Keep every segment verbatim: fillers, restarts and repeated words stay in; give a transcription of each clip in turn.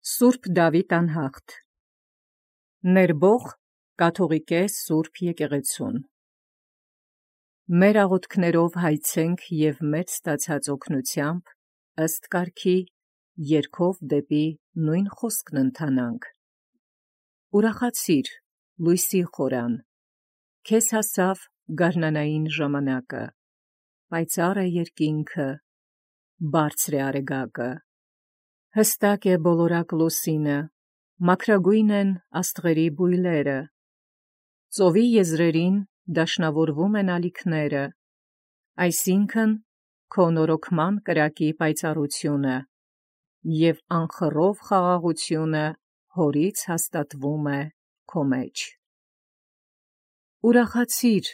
Սուրբ Դավիթ անհաղթ Ներբող կաթողիկե Սուրբ եկեղեցուն Մեր աղոթքներով հայցենք և մեծ ստացած օգնությամբ ըստ կարգի երգով դեպի նույն խոսքն ընթանանք։ Ուրախացիր, լույսի խորան, քեզ հասավ գարնանային ժամանակը, պայծառ է երկինքը, բարձր է արեգակը, հստակ է բոլորակ լուսինը, մաքրագույն են աստղերի բույլերը, ծովի եզրերին դաշնավորվում են ալիքները, այսինքն քո նորոգման կրակի պայծառությունը, և անխռով խաղաղությունը հորից հաստատվում է քո մեջ։ Ուրախացիր,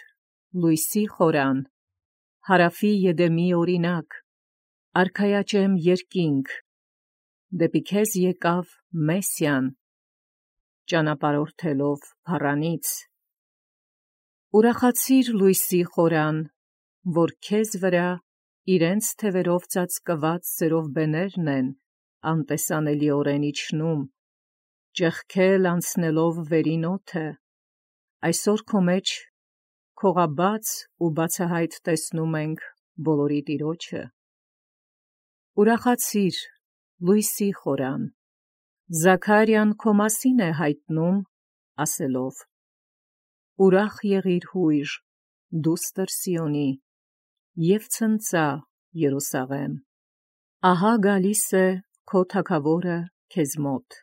լույսի խորան, հարավի Եդեմի օրինակ, արքայաջեմ երկինք, դեպի քեզ եկավ Մեսիան, ճանապարհորդելով փառանից։ Ուրախացիր, լույսի խորան, որ քեզ վրա իրենց թևերով ծածկված սերովբեներն են անտեսանելիորեն իջնում, ճեղքել անցնելով վերին օդը, այսօր քո մեջ քողաբաց ու բացահայտ տեսնում ենք բոլորի Տիրոջը։ Ուրախացիր, լույսի խորան, Զաքարիան քո մասին է հայտնում, ասելով. Ուրախ եղիր հույր, դուստր Սիոնի, և ցնծա, Երուսաղեմ, ահա գալիս է քո թագավորը քեզ մոտ։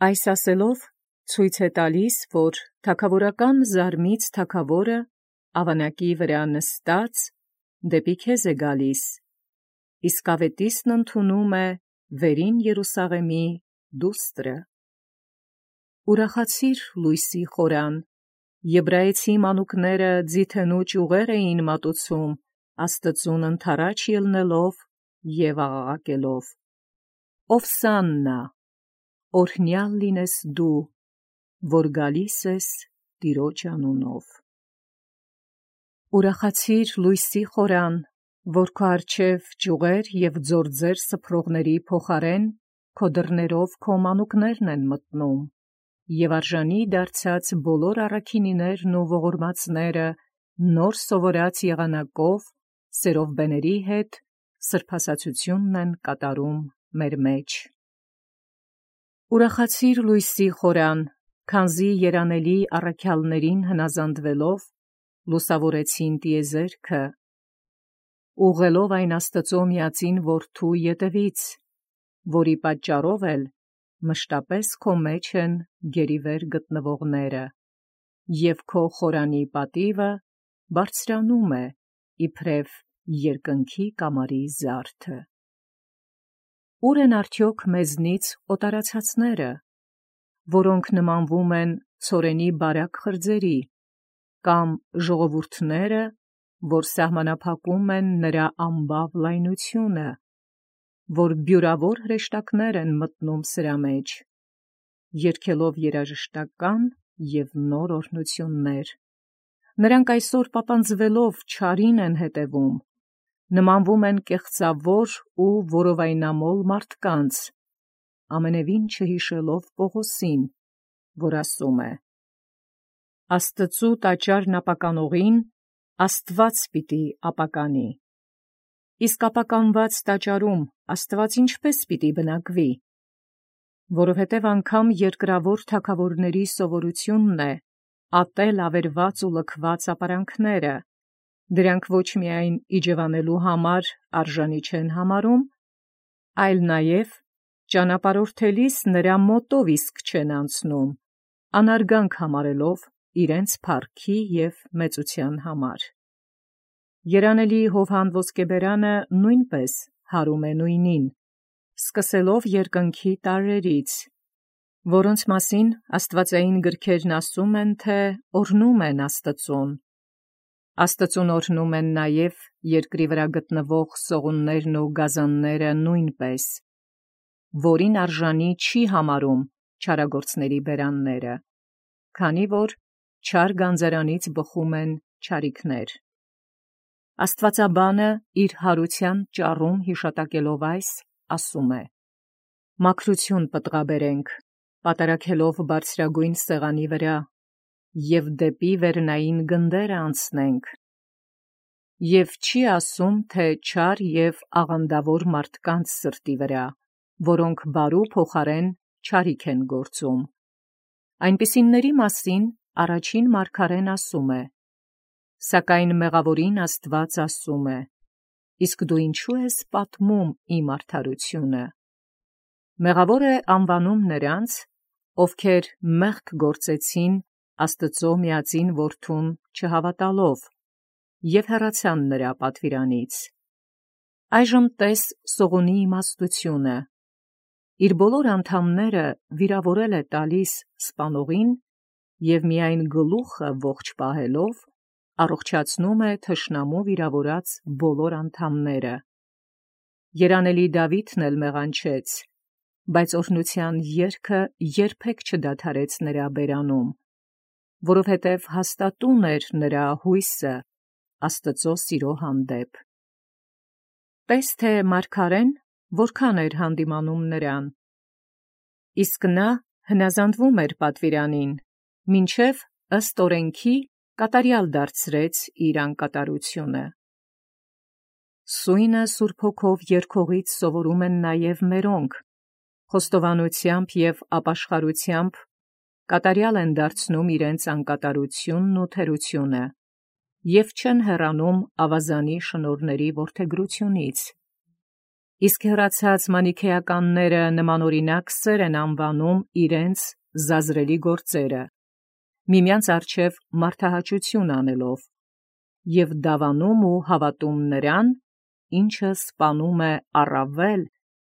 Այս ասելով ցույց է տալիս, որ թագավորական զարմից թագավորը ավանակի վրա նստած դեպի քեզ է գալիս, իսկ ավետիսն ընդունում է վերին Երուսաղեմի դուստրը։ Ուրախացիր, լույսի խորան, եբրայեցի մանուկները ձիթենու ճյուղեր էին մատուցում, Աստծուն ընդառաջ ելնելով և աղաղակելով. Ովսաննա, օրհնյալ լինես դու, որ գալիս ես Տիրոջ անունով։ Ուրախացիր, լույսի խորան, որ քո առջև ճյուղեր և ձորձեր սփռողների փոխարեն քո դռներով քո մանուկներն են մտնում, և արժանի դարձած բոլոր առաքինիներն ու ողորմածները նոր սովորած եղանակով սերովբեների հետ սրբասացությունն են կատարում մեր մեջ։ Ուրախացիր, լույսի խորան, քանզի երանելի առաքյալներին հնազանդվելով լուսավորեցին տիեզերքը, ուղղելով այն Աստծո միածին Որդու ետևից, որի պատճառով էլ մշտապես քո մեջ են գերիվեր գտնվողները, և քո խորանի պատիվը բարձրանում է իբրև երկնքի կամարի զարդը։ Ո՞ւր են արդյոք մեզնից օտարացածները, որոնք նմանվում են ցորենի բարակ խրձերի, կամ ժողովուրդները, որ սահմանափակում են նրա ամբավ լայնությունը, որ բյուրավոր հրեշտակներ են մտնում սրա մեջ, երգելով երաժշտական և նոր օրհնություններ։ Նրանք այսօր պապանձվելով չարին են հետևում, նմանվում են կեղծավոր ու որովայնամոլ մարդկանց, ամենևին չհիշելով Պողոսին, որ ասում է. Աստծու տաճարն ապականողին Աստված պիտի ապականի։ Իսկ ապականված տաճարում Աստված ինչպե՞ս պիտի բնակվի։ Որովհետև անգամ երկրավոր թագավորների սովորությունն է ատել ավերված ու լքված ապարանքները, դրանք ոչ միայն իջևանելու համար արժանի չեն համարում, այլ նաև ճանապարհորդելիս նրա մոտով իսկ չեն անցնում, անարգանք համարելով իրենց փառքի և մեծության համար։ Երանելի Հովհան ոսկեբերանը նույնպես հարում է նույնին, սկսելով երկնքի տարրերից, որոնց մասին աստվածային գրքերն ասում են, թե օրհնում են Աստծուն։ Աստծուն օրհնում են նաև երկրի վրա գտնվող սողուններն ու գազանները նույնպես, որին արժանի չի համարում չարագործների բերանները, քանի որ չար գանձարանից բխում են չարիքներ։ Աստվածաբանը իր հարության ճառում հիշատակելով այս, ասում է. մաքրություն պտղաբերենք, պատարակելով բարձրագույն սեղանի վրա, և դեպի վերնային գնդերը անցնենք։ Եվ չի ասում, թե չար և աղանդավոր մարդկանց սրտի վրա, որոնք բարու փոխարեն չարիք են գործում։ Այնպիսինների մասին առաջին մարգարեն ասում է. «Սակայն մեղավորին Աստված ասում է. իսկ դու ինչու ես պատմում իմ արդարությունը»։ Մեղավոր է անվանում նրանց, ովքեր մեղք գործեցին Աստծո միածին Որդուն չհավատալով և հեռացան նրա պատվիրանից։ Այժմ տես Սողունի իմաստությունը. իր բոլոր անդամները վիրավորել է տալիս սպանողին և միայն գլուխը ողջ պահելով առողջացնում է թշնամու վիրավորած բոլոր անդամները։ Երանելի Դավիթն էլ մեղանչեց, բայց օրհնության երգը երբեք չդադարեց նրա բերանում, որովհետև հաստատուն էր նրա հույսը Աստծո սիրո հանդեպ։ Տես թե մարգարեն որքան էր հանդիմանում նրան։ Իսկ նա հնազանդվում էր պատվիրանին, մինչև ըստ օրենքի կատարյալ դարձրեց իր անկատարությունը։ Սույնը Սուրբ Հոգով երգողից սովորում են նաև մերոնք, խոստովանությամբ և ապաշխարությամբ կատարյալ են դարձնում իրենց անկատարությունն ու թերությունը և չեն հեռանում ավազանի շնորհների որդեգրությունից։ Իսկ հեռացած մանիքեականները նմանօրինակ սեր են անվանում իրենց զազրելի գործերը, միմյանց առջև մարդահաճություն անելով, և դավանում ու հավատում նրան, ինչը սպանում է առավել,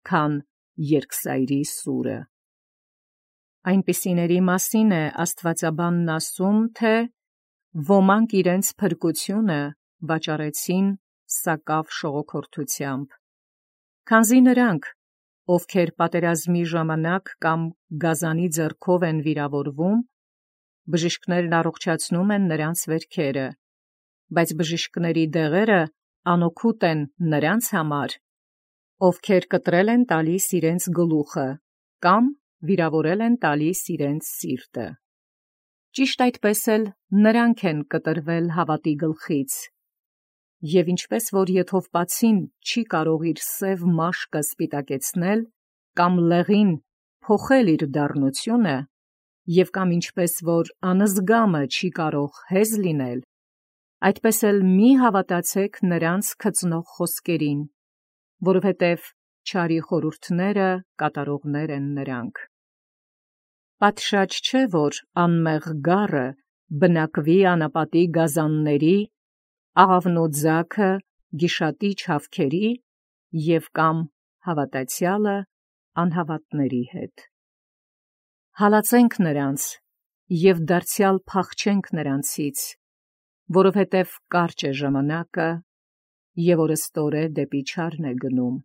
քան երկսայրի սուրը։ Այնպիսիների մասին է աստվածաբանն ասում, թե ոմանք իրենց փրկությունը վաճառեցին սակավ շողոքորթությամբ, քանզի նրանք, ովքեր պատերազմի ժամանակ կամ գազանի ձեռքով են վիրավորվում, բժիշկներն առողջացնում են նրանց վերքերը, բայց բժիշկների դեղերը անօգուտ են նրանց համար, ովքեր կտրել են տալիս իրենց գլուխը կամ վիրավորել են տալիս իրենց սիրտը։ Ճիշտ այդպես էլ նրանք են կտրվել հավատի գլխից, և ինչպես որ եթովպացին չի կարող իր սև մաշկը սպիտակեցնել կամ լեղին փոխել իր դառնությունը, և կամ ինչպես որ անզգամը չի կարող հեզ լինել, այդպես էլ մի հավատացեք նրանց քծնող խոսքերին, որովհետև չարի խորհուրդները կատարողներ են նրանք։ Պատշաճ չէ, որ անմեղ գառը բնակվի անապատի գազանների, աղավնու ձագը գիշատի չավքերի և կամ հավատացյալը անհավատների հետ։ Հալածենք նրանց և դարձյալ փախչենք նրանցից, որովհետև կարճ է ժամանակը, և օրըստօրե դեպի չարն է գնում։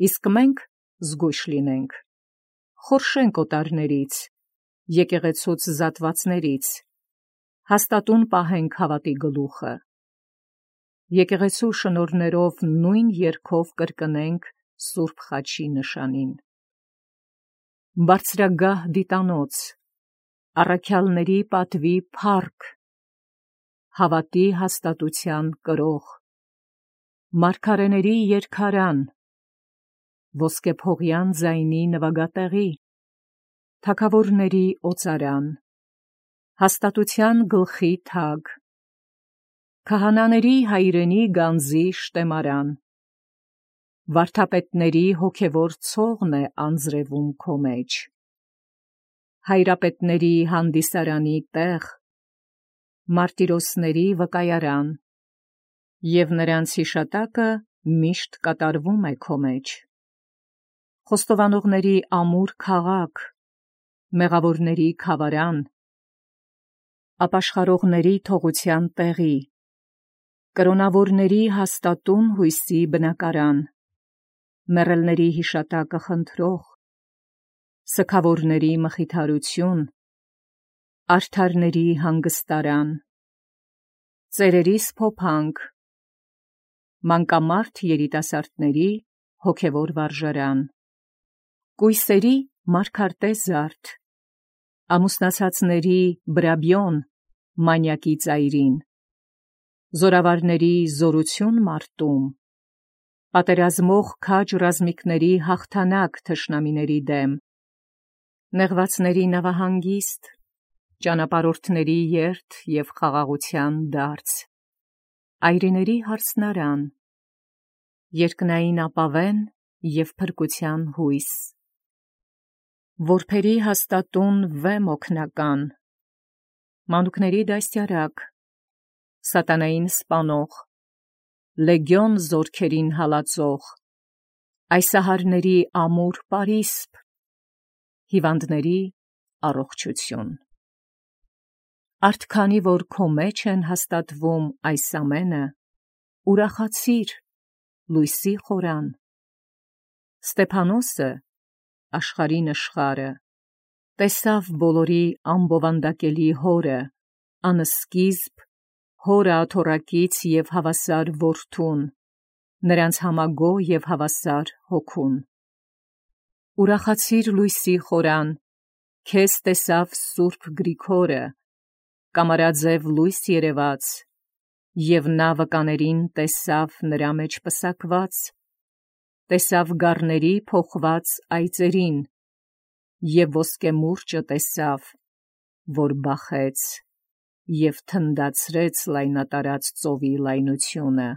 Իսկ մենք զգույշ լինենք, խորշենք օտարներից, եկեղեցուց զատվածներից, հաստատուն պահենք հավատի գլուխը։ Եկեղեցու շնորհներով նույն երգով կրկնենք Սուրբ Խաչի նշանին։ Բարձրագահ դիտանոց, առաքյալների պատվի փառք, հավատի հաստատության կրող, մարգարեների երգարան, ոսկեփողյան ձայնի նվագատեղի, թագավորների օծարան, հաստատության գլխի թագ, քահանաների հայրենի գանձի շտեմարան, վարդապետների հոգևոր ցողն է անձրևում քո մեջ, հայրապետների հանդիսարանի տեղ, մարտիրոսների վկայարան, և նրանց հիշատակը միշտ կատարվում է քո մեջ, խոստովանողների ամուր քաղաք, մեղավորների քավարան, ապաշխարողների թողության տեղի, կրոնավորների հաստատուն հույսի բնակարան, մեռելների հիշատակը խնդրող, սգավորների մխիթարություն, արդարների հանգստարան, ծերերիս փոփանք, մանկամարդ երիտասարդների հոգևոր վարժարան, կույսերի մարգարտե զարդ, ամուսնացածների բրաբիոն մանյակի ծայրին, զորավարների զորություն մարտում, պատերազմող քաջ ռազմիկների հաղթանակ թշնամիների դեմ, նեղվածների նավահանգիստ, ճանապարհորդների երթ և խաղաղության դարձ, այրիների հարսնարան, երկնային ապավեն և փրկության հույս, որբերի հաստատուն վեմ օգնական, մանուկների դաստիարակ, սատանային սպանող, լեգիոն զորքերին հալածող, այսահարների ամուր պարիսպ, հիվանդների առողջություն։ Արդ քանի որ քո մեջ են հաստատվում այս ամենը, ուրախացիր, լույսի խորան։ Ստեփանոսը, աշխարհի նշխարը, տեսավ բոլորի ամբովանդակելի հորը, անսկիզբ, հորը աթոռակից և հավասար որդուն, նրանց համագոհ և հավասար հոգուն։ Ուրախացիր լույսի խորան, քեզ տեսավ սուրբ Գրիգորը, կամարաձև լույս երևաց, և նա վկաներին տեսավ նրա մեջ պսակված, տեսավ գառների փոխված այծերին, և ոսկե մուրճը տեսավ, որ բախեց, և թնդացրեց լայնատարած ծովի լայնությունը,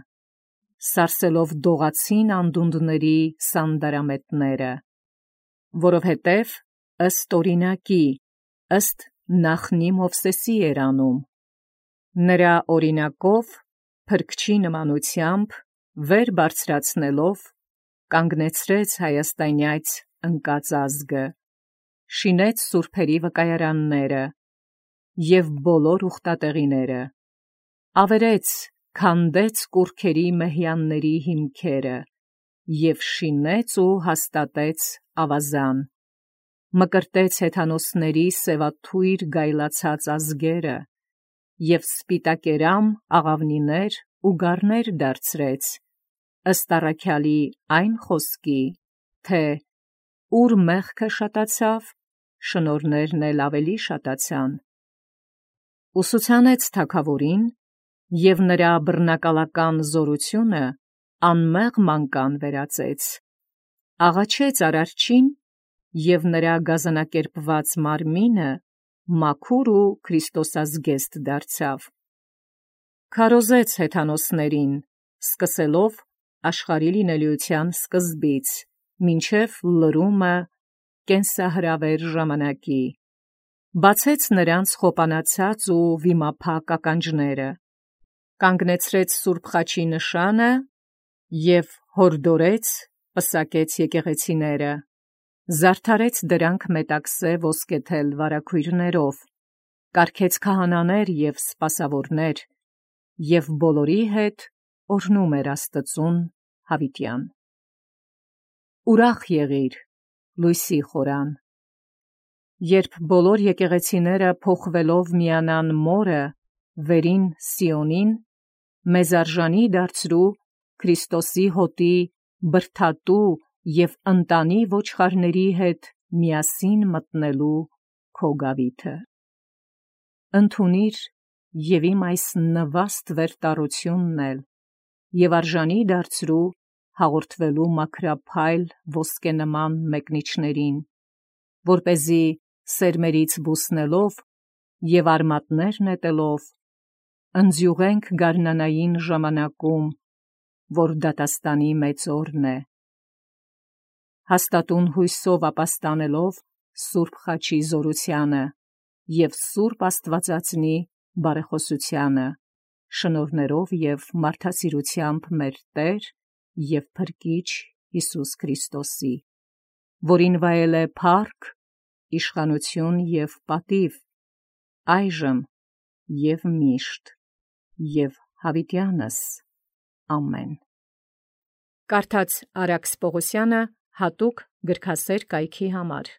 սարսելով դողացին անդունդների սանդարամետները, որովհետև ըստ օրինակի, ըստ նախնի Մովսեսի էր անում, նրա օրինակով, փրկչի նմանությամբ, վեր բարձրացնելով, կանգնեցրեց հայաստանյաց ընկած ազգը, շինեց սուրբերի վկայարանները և բոլոր ուխտատեղիները, ավերեց, քանդեց կուռքերի մեհյանների հիմքերը և շինեց ու հաստատեց ավազան, մկրտեց հեթանոսների սևաթույր գայլացած ազգերը և սպիտակերամ աղավնիներ ու գառներ դարձրեց, ըստ առաքյալի այն խոսքի, թե ուր մեղքը շատացավ, շնորհներն էլ ավելի շատացան, ուսուցանեց թագավորին և նրա բռնակալական զորությունը անմեղ մանկան վերածեց, աղաչեց Արարչին և նրա գազանակերպված մարմինը մաքուր ու քրիստոսազգեստ դարձավ, քարոզեց հեթանոսներին, սկսելով աշխարհի լինելիության սկզբից, մինչև լրումը կենսահրավեր ժամանակի, բացեց նրանց խոպանացած ու վիմափակ ականջները, կանգնեցրեց սուրբ խաչի նշանը և հորդորեց, պսակեց եկեղեցիները, զարդարեց դրանք մետաքսե ոսկեթել վարագույրներով, կարգեց քահանաներ և սպասավորներ և բոլորի հետ օրհնում էր Աստծուն հավիտյան։ Ուրախ եղիր, լույսի խորան, երբ բոլոր եկեղեցիները փոխվելով միանան մորը, վերին Սիոնին, մեզ արժանի դարձրու Քրիստոսի հոտի բրդատու և ընտանի ոչխարների հետ միասին մտնելու քո գավիթը։ Ընդունիր և իմ այս նվաստ վերտառությունն էլ և արժանի դարձրու հաղորդվելու մաքրափայլ ոսկենման մեկնիչներին, որպեսզի սերմերից բուսնելով և արմատներ նետելով, ընձյուղենք գարնանային ժամանակում, որ դատաստանի մեծ օրն է, հաստատուն հույսով ապաստանելով սուրբ խաչի զորությանը և սուրբ Աստվածածնի բարեխոսությանը, շնորհներով և մարդասիրությամբ մեր Տեր և Փրկիչ Հիսուս Քրիստոսի, որին վայել է փառք, իշխանություն և պատիվ, այժմ և միշտ և հավիտյանս ամեն։ Կարդաց Արաքս Պողոսյանը հատուկ գրքասեր կայքի համար։